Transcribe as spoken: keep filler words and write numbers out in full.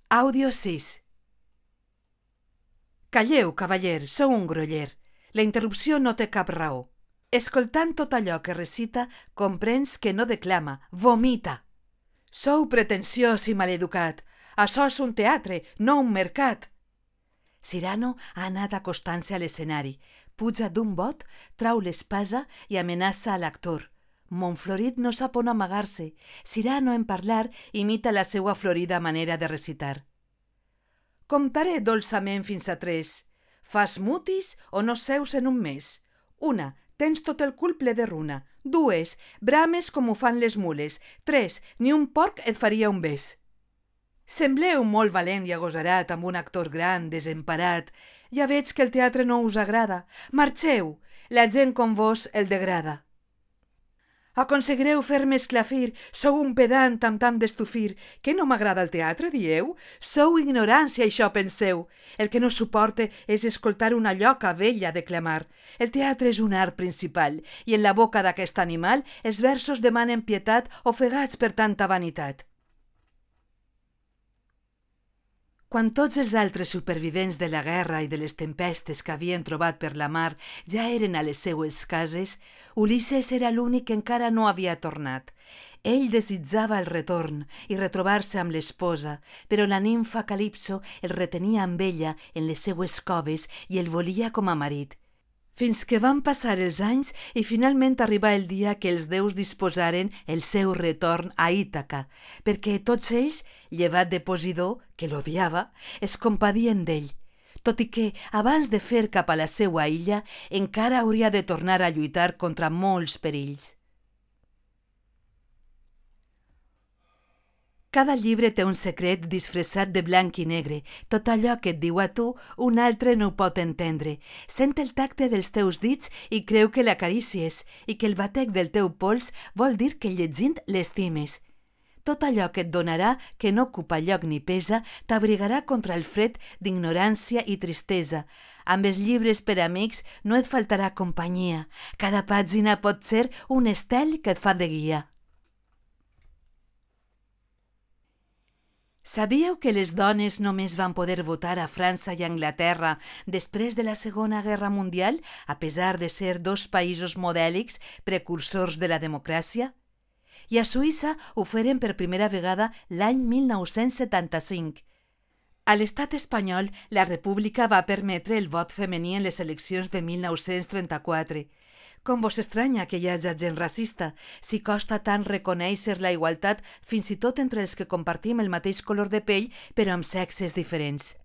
Àudio sis. Calleu, cavaller, sou un groller. La interrupció no té cap raó. Escoltant tot allò que recita, comprens que no declama, vomita. Sou pretensiós i maleducat. Açò és un teatre, no un mercat. Cyrano ha anat acostant-se a l'escenari. Puja d'un bot, trau l'espasa i amenaça a l'actor. Montflorit no sap on amagar-se. Cyrano, en parlar, imita la seua florida manera de recitar. Comptaré dolçament fins a tres. Fas mutis o no seus en un mes. Una, tens tot el cul ple de runa. Dues, brames com ho fan les mules. Tres, ni un porc et faria un bes. Sembleu molt valent i agosarat amb un actor gran, desemparat. Ja veig que el teatre no us agrada. Marxeu! La gent com vos el degrada. Aconseguireu fer-me esclafir. Sou un pedant amb tant d'estufir. Que no m'agrada el teatre, dieu? Sou ignorància, això penseu. El que no suporte és escoltar una lloca vella declamar. El teatre és un art principal, i en la boca d'aquest animal els versos demanen pietat ofegats per tanta vanitat. Quan tots els altres supervivents de la guerra i de les tempestes que havien trobat per la mar ja eren a les seues cases, Ulisses era l'únic que encara no havia tornat. Ell desitjava el retorn i retrobar-se amb l'esposa, però la nimfa Calipso el retenia amb ella en les seues coves i el volia com a marit. Fins que van passar els anys i finalment arribar el dia que els déus disposaren el seu retorn a Ítaca, perquè tots ells, llevat de Posidó, que l'odiava, es compadien d'ell, tot i que, abans de fer cap a la seua illa, encara hauria de tornar a lluitar contra molts perills. Cada llibre té un secret disfressat de blanc i negre. Tot allò que et diu a tu, un altre no ho pot entendre. Sent el tacte dels teus dits i creu que l'acarícies, i que el batec del teu pols vol dir que llegint l'estimes. Tot allò que et donarà, que no ocupa lloc ni pesa, t'abrigarà contra el fred d'ignorància i tristesa. Amb els llibres per amics no et faltarà companyia. Cada pàgina pot ser un estel que et fa de guia. Sabíeu que les dones només van poder votar a França i a Anglaterra després de la Segona Guerra Mundial, a pesar de ser dos països modèlics precursors de la democràcia? I a Suïssa ho feren per primera vegada l'any mil nou-cents setanta-cinc. A l'estat espanyol, la República va permetre el vot femení en les eleccions de mil nou-cents trenta-quatre. Com vos estranya que hi hagi gent racista, si costa tant reconèixer la igualtat fins i tot entre els que compartim el mateix color de pell però amb sexes diferents.